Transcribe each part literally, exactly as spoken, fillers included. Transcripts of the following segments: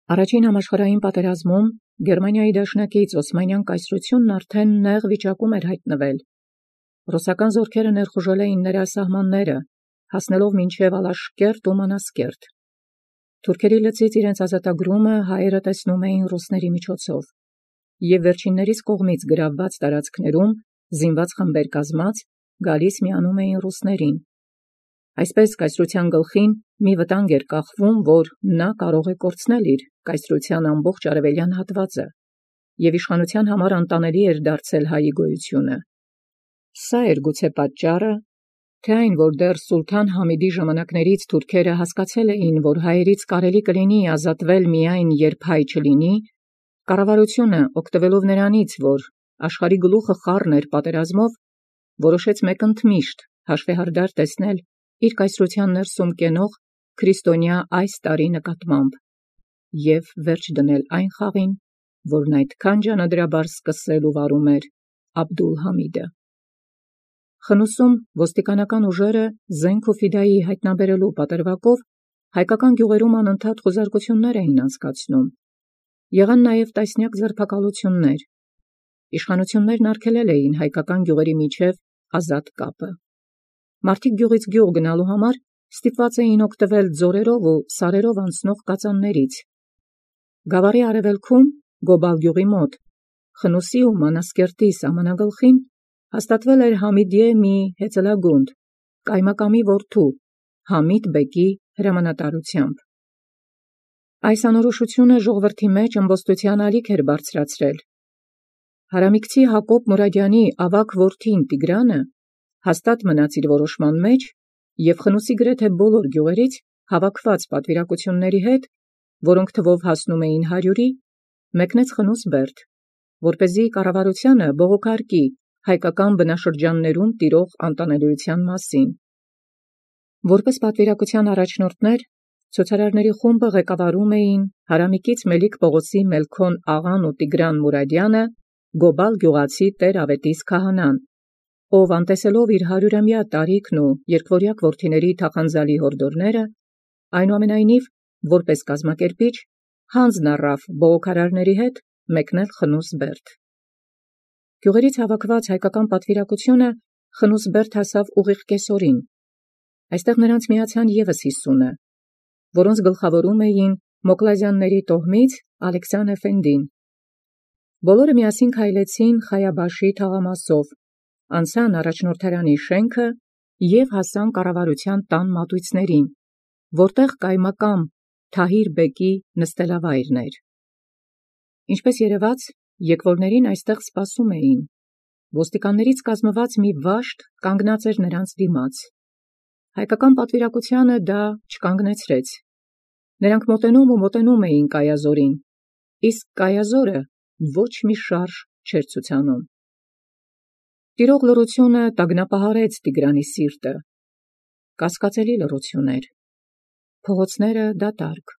Առաջին համաշխարհային պատերազմում Գերմանիայի դաշնակից Օսմանյան կայսրութիւնն արդեն նեղ վիճակում էր հայտնվել։ Ռուսական զորքերը ներխուժել էին նրա սահմանները, հասնելով մինչև Ալաշկերտ ու Մանասկերտ։ Թուրքերի լծից իրենց ազատագրումը հայերը տեսնում էին ռուսների միջոցով, և վերջիններիս կողմից գրավված տարածքներում զինված խմբեր կազմած գալիս միանում էին ռուսներին։ Այսպես կայսրության գլխին մի վտանգ էր կախվում, որ նա կարող է կորցնել իր կայսրության ամբողջ արևելյան հատվածը, և իշխանության համար անտանելի էր դարձել հայի գոյությունը։ Սա էր գուցե պատճառը, թե այն, որ դեռ սուլթան Համիդի ժամանակներից թուրքերը հասկացել էին, որ հայերից կարելի կլինի ազատվել միայն երբ հայ չլինի, կառավարությունը, օգտվելով նրանից, որ աշխարհի գլուխը խառն էր պատերազմով, որոշեց մեկընդմիշտ հաշվեհարդար տեսնել իր կայսրության ներսում կենող քրիստոնյա այս տարի նկատմամբ և վերջ դնել այն խաղին, որն այդքան ջանադրաբար սկսել ու վարում էր Աբդուլ-Համիդը։ Խնուսում ոստիկանական ուժերը զենք ու ֆիդայի հայտնաբերելու պատրվակով հայկական գյուղերում անընդհատ խուզարկություններ էին անցկացնում։ Եղան նաև տասնյակ ձերբակալություններ։ Իշխանություններն արգելել էին հայկական գյուղերի միջև ազատ կապը։ Մարդիկ գյուղից գյուղ գնալու համար ստիպված էին օգտվել ձորերով ու սարերով անցնող կածաններից։ Գավառի արևելքում, Գոբալ գյուղի մոտ, Խնուսի ու Մանասկերտի սահմանագլխին հաստատվել էր Համիդիե մի հեծելագունդ, կայմակամի որդու, Համիդ բեկի հրամանատարությամբ։ Այս անորոշությունը ժողովրդի մեջ ըմբոստության ալիք էր բարձրացրել։ Հարամիկցի Հակոբ Մուրադյանի ավագ որդին Տիգրանը հաստատ մնաց իր որոշման մեջ և Խնուսի գրեթե բոլոր գյուղերից հավաքված պատվիրակությունների հետ, որոնք թվով հասնում էին հարյուրի, մեկնեց Խնուս Բերդ, որպեսզի կառավարությանը բողոքարկի հայկական բնաշրջաններում տիրող անտանելիության մասին։ Որպես պատվիրակության առաջնորդներ, ցուցարարների խումբը ղեկավարում էին Հարամիկից Մելիք Պողոսի Մելքոն աղան ու Տիգրան Մուրադյանը, Գոբալ գյուղացի Տեր-Ավետիս քահանան, ով անտեսելով իր հարյուրամյա տարիքն ու երկվորյակ որդիների թախանձալի հորդորները, այնուամենայնիվ, որպես կազմակերպիչ, հանձն առավ բողոքարարների հետ մեկնել Խնուս Բերդ։ Գյուղերից հավաքված հայկական պատվիրակությունը Խնուս Բերդ հասավ ուղիղ կեսօրին։ Այստեղ նրանց միացան ևս հիսունը, որոնց գլխավորում էին Մոկլազյանների տոհմից Ալեքսան Էֆենդին։ Բոլորը միասին քայլեցին Խայաբաշի թաղամասով, անցան առաջնորդարանի շենքը և հասան կառավարության տան մատույցներին, որտեղ կայմակամ Թահիր բեկի նստելավայրն էր։ Ինչպես երևաց, եկվորներին այստեղ սպասում էին։ Ոստիկաններից կազմված մի վաշտ կանգնած էր նրանց դիմաց։ Հայկական պատվիրակությանը դա չկանգնեցրեց։ Նրանք մոտենում ու մոտենում էին կայազորին, իսկ կայազորը ոչ մի շարժ չէր ցուցանում։ Տիրող լռությունը տագնապահարեց Տիգրանի սիրտը։ Կասկածելի լռություն էր։ Փողոցները դատարկ,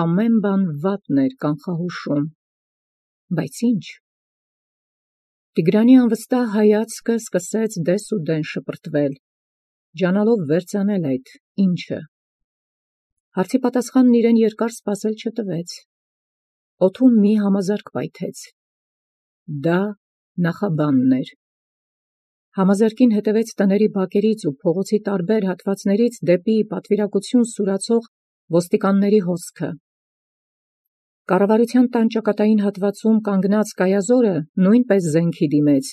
ամեն բան վատն էր կանխահուշում, բայց ի՞նչ։ Տիգրանի անվստահ հայացքը սկսեց դես ու դեն շպրտվել, ջանալով վերծանել այդ ի՞նչը։ Հարցի պատասխանն իրեն երկար սպասել չտվեց։ Օդում մի համազարկ պայթեց։ Դա նախաբանն էր։ Համազարկին հետևեց տների բակերից ու փողոցի տարբեր հատվածներից դեպի պատվիրակություն սուրացող ոստիկանների հոսքը։ Կառավարության տան ճակատային հատվածում կանգնած կայազորը նույնպես զենքի դիմեց,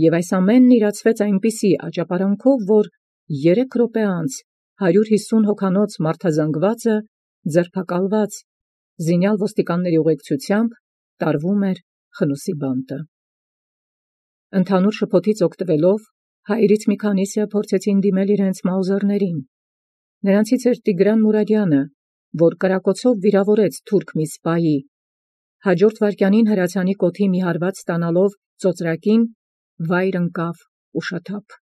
և այս ամենն իրացվեց այնպիսի աճապարանքով, որ երեք րոպե անց հարյուր հիսուն հոգանոց մարդազանգվածը, ձերբակալված, զինյալ ոստիկանների ուղեկցությամբ տարվում էր Խնուսի բանտը։ Ընդհանուր շփոթից օգտվելով, հայերից մի քանիսը փորձեցին դիմել իրենց մաուզերներին։ Նրանցից էր Տիգրան Մուրադյանը, որ կրակոցով վիրավորեց թուրք մի սպայի, հաջորդ վայրկյանին հրացանի կոթի մի հարված ստանալով ծոծրակին, վայր ընկավ ուշաթափ։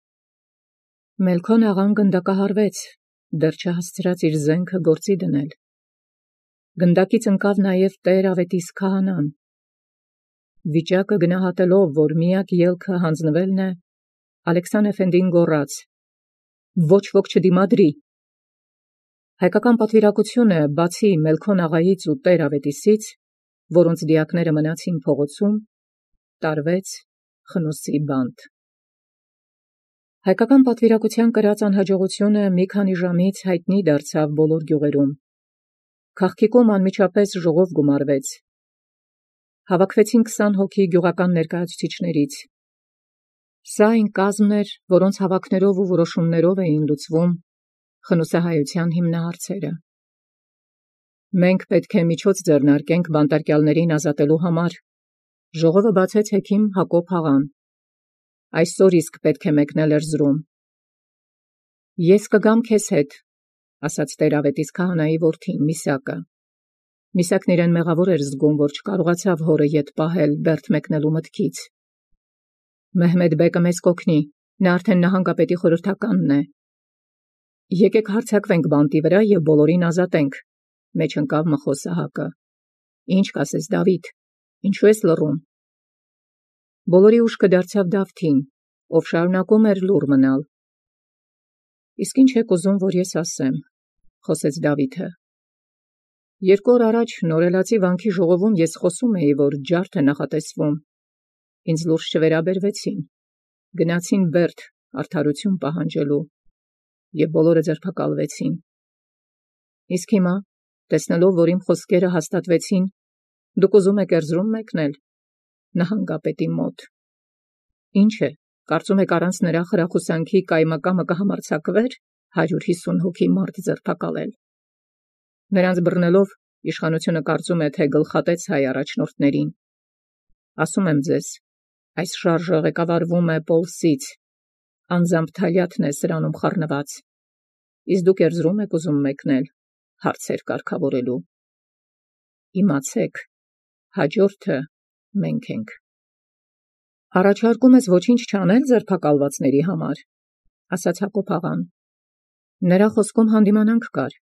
Մելքոն աղան գնդակահարվեց, դեռ չհասցրած իր զենքը գործի դնել։ Գնդակից ընկավ նաև Տեր-Ավետիս քահանան։ Վիճակը գնահատելով, որ միակ ելքը հանձնվելն է, Ալեքսան Էֆենդին գոռաց. «Ոչ ոք չդիմադրի»։ Հայկական պատվիրակությունը բացի Մելքոն աղայից ու Տեր Ավետիսից, որոնց դիակները մնացին փողոցում, տարվեց Խնոսի բանտ։ Հայկական պատվիրակության կրած անհաջողությունը մի քանի ժամից հայտնի դարձավ բոլոր գյուղերում։ Քաղաքիկում անմիջապես ժողով գումարվեց։ Հավաքվեցին քսան հոգի գյուղական ներկայացուցիչներից։ Սա այն կազմն էր, որոնց հավաքներով ու որոշումներով էին լուծվում խնոսահայության հիմնահարցերը։ Մենք պետք է միջոց ձեռնարկենք բանտարկյալներին ազատելու համար, ժողովը բացեց հեքիմ Հակոբ աղան։ Այսօր իսկ պետք է մեկնել Էրզրում։ Ես կգամ քեզ հետ, ասաց Տեր-Ավետիս քահանայի որդին Միսակը։ Միսակն իրեն մեղավոր էր զգում, որ չկարողացավ հորը ետ պահել Բերդ մեկնելու մտքից։ Մեհմեդ բեկը մեզ կօգնի, նա արդեն նահանգապետի խորհրդականն է։ Եկեք հարձակվենք բանտի վրա և բոլորին ազատենք, մեջ ընկավ Մխոս Սահակը։ Ինչ կասես, Դավիթ, ինչու ես լռում։ Բոլորի ուշքը դարձավ Դավթին, ով շարունակում էր լուռ մնալ։ Իսկ ինչ եք ուզում, որ ես ասեմ, խոսեց Դավիթը։ Երկու օր առաջ Նորելացի վանքի ժողովում ես խոսում էի, որ ջարդ է նախատեսվում։ Ինձ լուրջ չվերաբերվեցին։ Գնացին Բերդ արդարություն պահանջելու և բոլորը ձերբակալվեցին։ Իսկ հիմա, տեսնելով, որ իմ խոսքերը հաստատվեցին, դուք ուզում եք Էրզրում մեկնել, նահանգապետի մոտ։ Ինչ է, կարծում եք առանց նրա խրախուսանքի կայմակամը կհամարձակվեր հարյուր հիսուն հոգի մարդ ձերբակալել։ Նրանց բռնելով իշխանությունը կարծում է, թե գլխատեց հայ առաջնորդներին։ Ասում եմ ձեզ, այս շարժը ղեկավարվում է Պոլսից, անձամբ Թալյաթն է սրանում խառնված, իսկ դուք Էրզրում եք ուզում մեկնել հարցեր կարգավորելու։ Իմացեք, հաջորդը մենք ենք։ Առաջարկում ես ոչինչ չանել ձերբակալվածների համար, ասաց Հակոբ աղան։ Նրա խոսքում հանդիմանանք կար։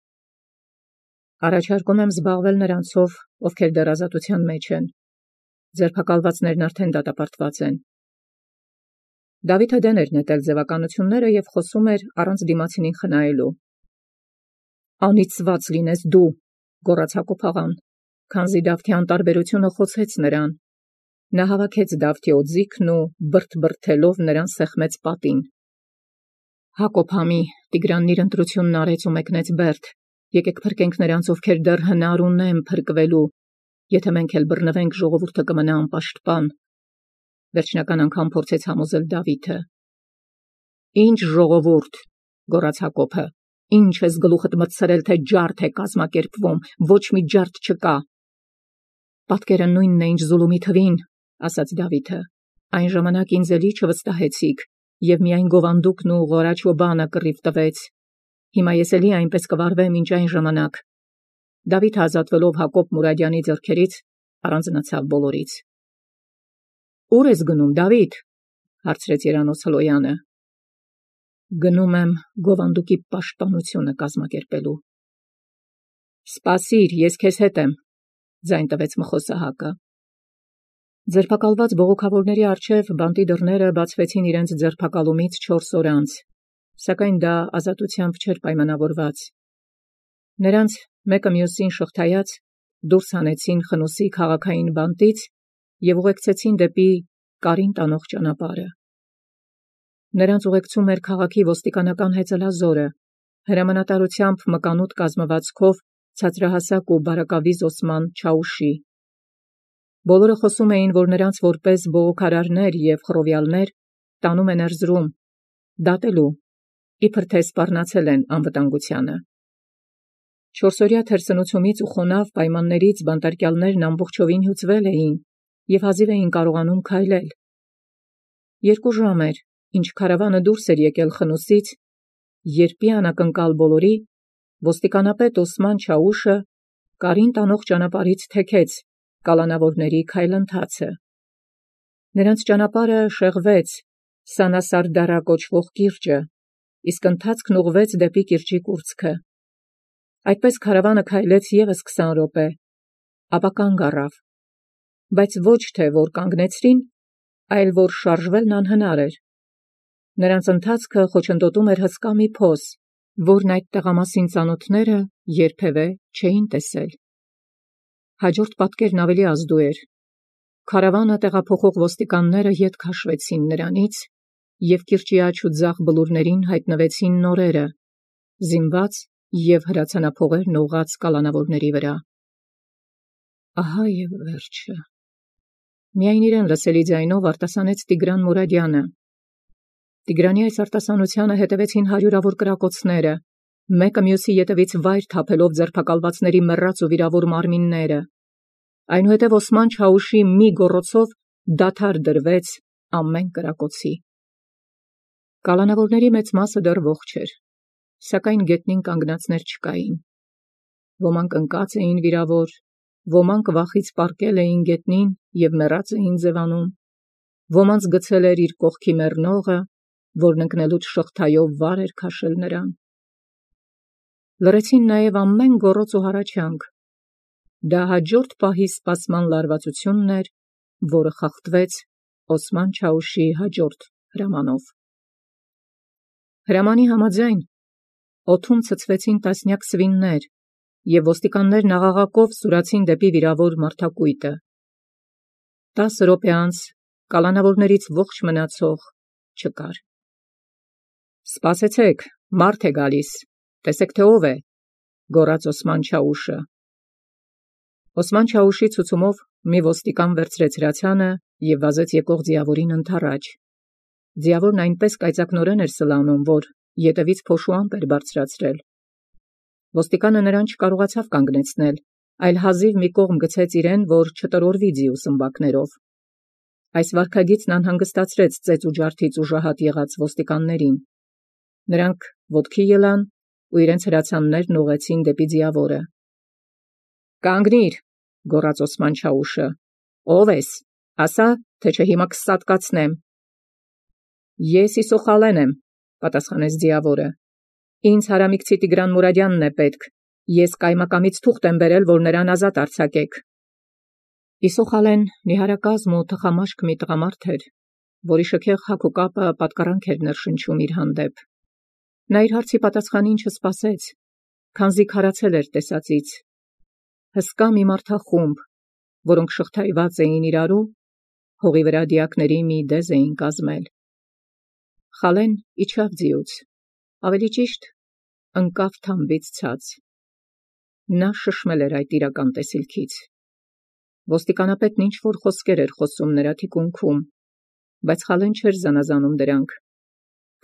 Առաջարկում եմ զբաղվել նրանցով, ովքեր դեռ ազատության մեջ են։ Ձերբակալվածներն արդեն դատապարտված են։ Դավիթը դեն էր նետել ձևականությունները և խոսում էր առանց դիմացինին խնայելու։ Անիծված լինես դու, գոռաց Հակոբ աղան, քանզի Դավթի անտարբերությունը խոցեց նրան։ Նա հավաքեց Դավթի օձիքն ու բրդ-բրդելով նրան սեղմեց պատին։ Հակոբ համի, Տիգրանն իր ընտրությունն արեց ու մեկնեց Բերդ։ Եկեք փրկենք նրանց, ովքեր դեռ հնար ունեն փրկվելու, եթե մենք էլ բռնվենք, ժողովուրդը կմնա անպաշտպան։ Վերջնական անգամ փորձեց համոզել Դավիթը։ Ինչ ժողովուրդ, գոռաց Հակոբը, ինչ ես գլուխդ մտցրել, թե ջարդ է կազմակերպվում, ոչ մի ջարդ չկա։ Պատկերը նույնն է, ինչ Զուլումի թվին, ասաց Դավիթը։ Այն ժամանակ ինձ էլի չվստահեցիք, և միայն Գովանդուկն ու Ղորաչոբանը կռիվ տվեց։ Հիմա ես էլի այնպես կվարվեմ, ինչ այն ժամանակ։ Դավիթը ազատվելով Հակոբ Մուրադյանի ձեռքերից, առանձնացավ բոլորից։ Ուր ես գնում, Դավիթ, հարցրեց Երանոս Հլոյանը։ Գնում եմ Գովանդուկի պաշտպանությունը կազմակերպելու։ Սպասիր, ես քեզ հետ եմ, ձայն տվեց Մխոս Սահակը։ Ձերբակալված բողոքավորների առջև բանտի դռները բացվեցին իրենց ձերբակալումից չորս օր անց, սակայն դա ազատությամբ չէր պայմանավորված։ Նրանց մեկը մյուսին շղթայած դուրս հանեցին Խնոսի քաղաքային բանտից և ուղեկցեցին դեպի Կարին տանող ճանապարհը։ Նրանց ուղեկցում էր քաղաքի ոստիկանական հեծելազորը, հրամանատարությամբ մկանուտ կազմվածքով ցածրահասակ ու բարակավիզ Օսման Չաուշի։ Բոլորը խոսում էին, որ նրանց որպես բողոքարարներ և խռովյալներ տանում են Էրզրում, դատելու, իբր թե սպառնացել են անվտանգությանը։ Չորսօրյա թերսնուցումից ու խոնավ պայմաններից բանտարկյալներն ամբողջովին հյուծվել էին և հազիվ էին կարողանում քայլել։ Երկու ժամ էր, ինչ քարավանը դուրս էր եկել Խնոսից, երբ ի անակնկալ բոլորի ոստիկանապետ Օսման Չաուշը Կարին տանող ճանապարհից թեքեց կալանավորների քայլընթացը։ Նրանց ճանապարհը շեղվեց Սանասարդարա կոչվող կիրճը, իսկ ընթացքն ուղղվեց դեպի կիրճի կուրծքը։ Այդպես քարավանը քայլեց ևս քսան րոպե, ապա կանգ առավ, բայց ոչ թե որ կանգնեցրին, այլ որ շարժվելն անհնար էր։ Նրանց ընթացքը խոչընդոտում էր հսկա մի փոս, որն այդ տեղամասին ծանոթները երբևէ չէին տեսել։ Հաջորդ պատկերն ավելի ազդու էր։ Քարավանը տեղափոխող ոստիկանները ետ քաշվեցին նրանից, և կիրճի աջ ու ձախ բլուրներին հայտնվեցին նորերը, զինված և հրացանափողերն ուղղած կալանավորների վրա։ Ահա և վերջը։ Միայն իրեն լսելի ձայնով արտասանեց Տիգրան Մուրադյանը։ Տիգրանի այս արտասանությանը հետևեցին հարյուրավոր կրակոցները, մեկը մյուսի ետևից վայր թափելով ձերբակալվածների մեռած ու վիրավոր մարմինները։ Այնուհետև Օսման Չաուշի մի գոռոցով դադար դրվեց ամեն կրակոցի։ Կալանավորների մեծ մասը դեռ ողջ էր, սակայն գետնին կանգնածներ չկային։ Ոմանք ընկած էին վիրավոր, ոմանք վախից պառկել էին գետնին և մեռած էին ձևանում, ոմանց գցել էր իր կողքի մեռնողը, որն ընկնելուց շղթայով վար էր քաշել նրան։ Լռեցին նաև ամեն գոռոց ու հառաչանք։ Դա հաջորդ պահի սպասման լարվածությունն էր, որը խախտվեց Օսման Չաուշի հաջորդ հրամանով։ Հրամանի համաձայն օդում ցցվեցին տասնյակ սվիններ, և ոստիկաններն աղաղակով սուրացին դեպի վիրավոր մարդակույտը։ Տասը րոպե անց կալանավորներից ողջ մնացող չկար։ «Սպասեցեք, մարդ է գալիս, տեսեք, թե ով է», գոռաց Օսման Չաուշը։ Օսման Չաուշի ցուցումով մի ոստիկան վերցրեց հրացանը և վազեց եկող ձիավորին ընդառաջ։ Ձիավորն այնպես կայծակնորեն էր սլանում, որ ետևից փոշու ամպ էր բարձրացրել։ Ոստիկանը նրան չկարողացավ կանգնեցնել, այլ հազիվ մի կողմ գցեց իրեն, որ չտրորվի ձիու սմբակներով։ Այս վարքագիծն անհանգստացրեց ծեծ ու ջարդից ուժահատ եղած ոստիկաններին։ Նրանք ոտքի ելան ու իրենց հրացաններն ուղղեցին դեպի ձիավորը։ «Կանգնիր», գոռաց Օսման Չաուշը։ «Ո՞վ ես, ասա, թե չէ հիմա կսատկացնեմ»։ «Ես Իսոխալեն եմ», պատասխանեց ձիավորը։ «Ինձ հարամիկցի Տիգրան Մուրադյանն է պետք։ Ես կայմակամից թուղթ եմ բերել, որ նրան ազատ արձակեք»։ Իսոխալեն նիհարակազմ ու թխամաշկ մի տղամարդ էր, որի շքեղ հագ ու կապը պատկառանք էր ներշնչում իր հանդեպ։ Նա իր հարցի պատասխանին չսպասեց, քանզի քարացել էր տեսածից։ Հսկա մի մարդախումբ, որոնք շղթայված էին իրարու, հողի վրա դիակների մի դեզ էին կազմել։ Խալեն իջավ ձիուց, ավելի ճիշտ ընկավ թամբից ցած։ Նա շշմել էր այդ իրական տեսիլքից։ Ոստիկանապետն ինչ-որ խոսքեր էր խոսում նրա թիկունքում, բայց Խալեն չէր զանազանում դրանք,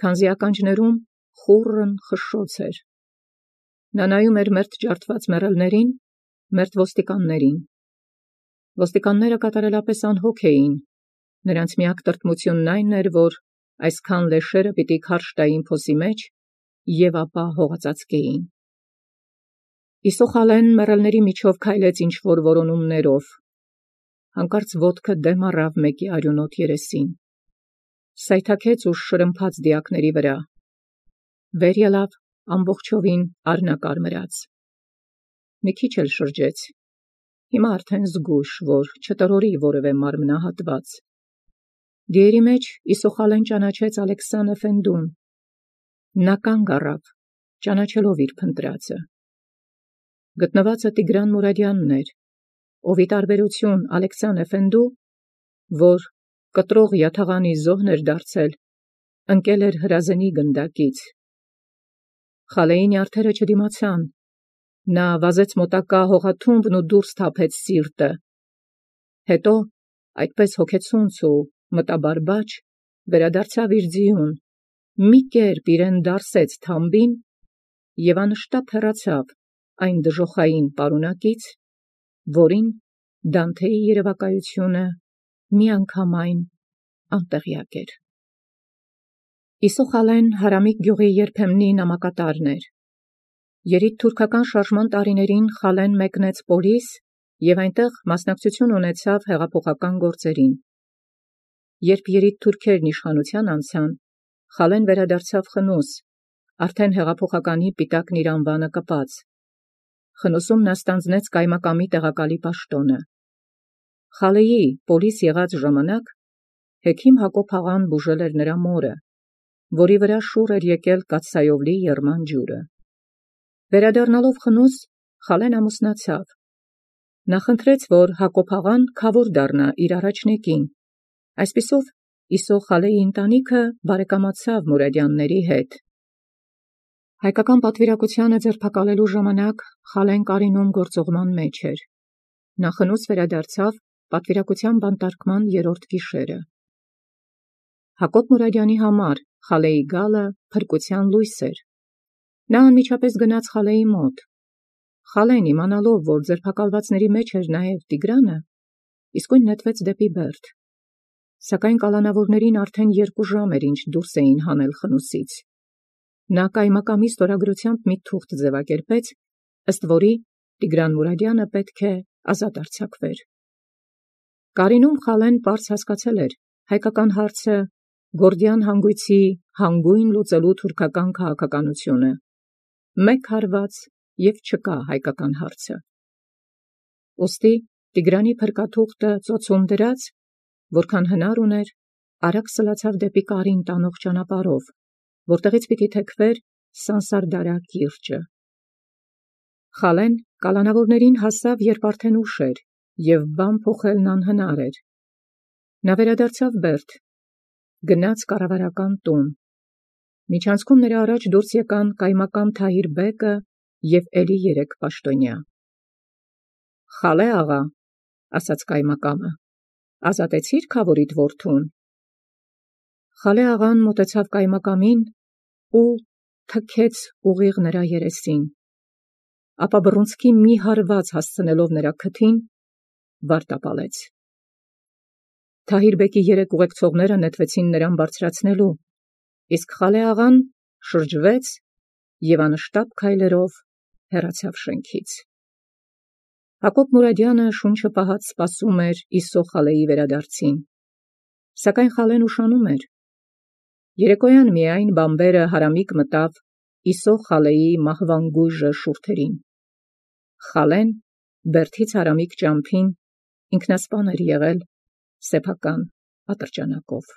քանզի ականջներում խուռն խշշոց էր։ Նա նայում էր մերթ ջարդված մեռելներին, մերթ ոստիկաններին։ Ոստիկանները կատարելապես անհոգ էին, նրանց միակ տրտմությունն այն էր, որ այսքան լեշերը պիտի քարշ տային փոսի մեջ և ապա հողածածկեին։ Իսոխալեն մեռելների միջով քայլեց ինչ-որ որոնումներով, հանկարծ ոտքը դեմ առավ մեկի արյունոտ երեսին, սայթաքեց ու շրմփաց դիակների վրա, վեր ելավ ամբողջովին արհնակարմրած։ Մի քիչ էլ շրջեց, հիմա արդեն զգույշ, որ չտրորի որևէ մարմնահատված։ Դիերի մեջ Իսոխալեն ճանաչեց Ալեքսան Էֆենդուն։ Նա կանգ առավ, ճանաչելով իր փնտրածը։ Գտնվածը Տիգրան Մուրադյանն էր, ով ի տարբերություն Ալեքսան Էֆենդու, որ կտրող յաթաղանի զոհն էր դարձել, ընկել էր հրազենի գնդակից։ Խալեի նյարդերը չդիմացան։ Նա վազեց մոտակա հողաթումբն ու դուրս թափեց սիրտը։ Հետո, այդպես հոգեցունց ու մտաբարբաջ, վերադարձավ իր ձիուն, մի կերպ իրեն դարսեց թամբին և անշտապ հեռացավ այն դժոխային պարունակից, որին Դանթեի երևակայությունը միանգամայն անտեղյակ էր։ Իսոխալեն Հարամիկ գյուղի երբեմնի նամակատարն էր։ Երիտթուրքական շարժման տարիներին Խալեն մեկնեց Պոլիս և այնտեղ մասնակցություն ունեցավ հեղափոխական գործերին։ Երբ երիտթուրքերն իշխանության անցան, Խալեն վերադարձավ Խնուս, արդեն հեղափոխականի պիտակն իր անվանը կպած։ Խնուսում նա ստանձնեց կայմակամի տեղակալի պաշտոնը։ Խալեի Պոլիս եղած ժամանակ հեքիմ Հակոբ աղան բուժել էր նրա մորը, որի վրա շուռ էր եկել կաթսայով լի եռման ջուրը։ Վերադառնալով խնուս, Խալեն ամուսնացավ։ Նա խնդրեց, որ Հակոբ աղան քավոր դառնա իր առաջնեկին։ Այսպիսով Իսո Խալեի ընտանիքը բարեկամացավ Մուրադյանների հետ։ Հայկական պատվիրակությանը ձերբակալելու ժամանակ Խալեն Կարինում գործողման մեջ էր։ Նա խնուս վերադարձավ պատվիրակության բանտարկման երրորդ գիշերը։ Հակոբ Մուրադյանի համար Խալեի գալը փրկության լույս էր։ Նա անմիջապես գնաց Խալեի մոտ։ Խալեն իմանալով, որ ձերբակալվածների մեջ էր նաև Տիգրանը, իսկույն նետվեց դեպի Բերդ։ Սակայն կալանավորներին արդեն երկու ժամ էր, ինչ դուրս էին հանել խնուսից։ Նա կայմակամի ստորագրությամբ մի թուղթ ձևակերպեց, ըստ որի Տիգրան Մուրադյանը պետք է ազատ արձակվեր։ Կարինում Խալեն պարզ հասկացել էր հայկական հարցը Գորդիան հանգույցի հանգույն լուծելու թուրքական քաղաքականությունը։ Մեկ հարված և չկա հայկական հարցը։ Ուստի Տիգրանի փրկաթուղթը ծոցում դրած, որքան հնար ուներ, արագ սլացավ դեպի Կարին տանող ճանապարհով, որտեղից պիտի թեքվեր Սանսարդարա կիրճը։ Խալեն կալանավորներին հասավ, երբ արդեն ուշ էր, և բան փոխելն անհնար էր։ Նա վերադարձավ Բերդ, գնաց կառավարական տուն։ Միջանցքում նրա առաջ դուրս եկան կայմակամ Թահիր բեկը և էլի երեք պաշտոնյա։ «Խալե աղա», ասաց կայմակամը, «ազատեցի՞ր քավորիդ որդուն»։ Խալե աղան մոտեցավ կայմակամին ու թքեց ուղիղ նրա երեսին, ապա բռունցքի մի հարված հասցնելով նրա քթին, վարտապալեց։ Թահիր բեկի երեք ուղեկցողները նետվեցին նրան բարձրացնելու, իսկ Խալե աղան շրջվեց և անշտապ քայլերով հեռացավ շենքից։ Հակոբ Մուրադյանը շունչը պահած սպասում էր Իսո Խալեի վերադարձին, սակայն Խալեն ուշանում էր։ Երեկոյան միայն բամբերը հարամիկ մտավ Իսո Խալեի մահվան գույժը շուրթերին։ Խալեն Բերդից հարամիկ ճամփին ինքնասպան էր եղել սեփական ատրճանակով։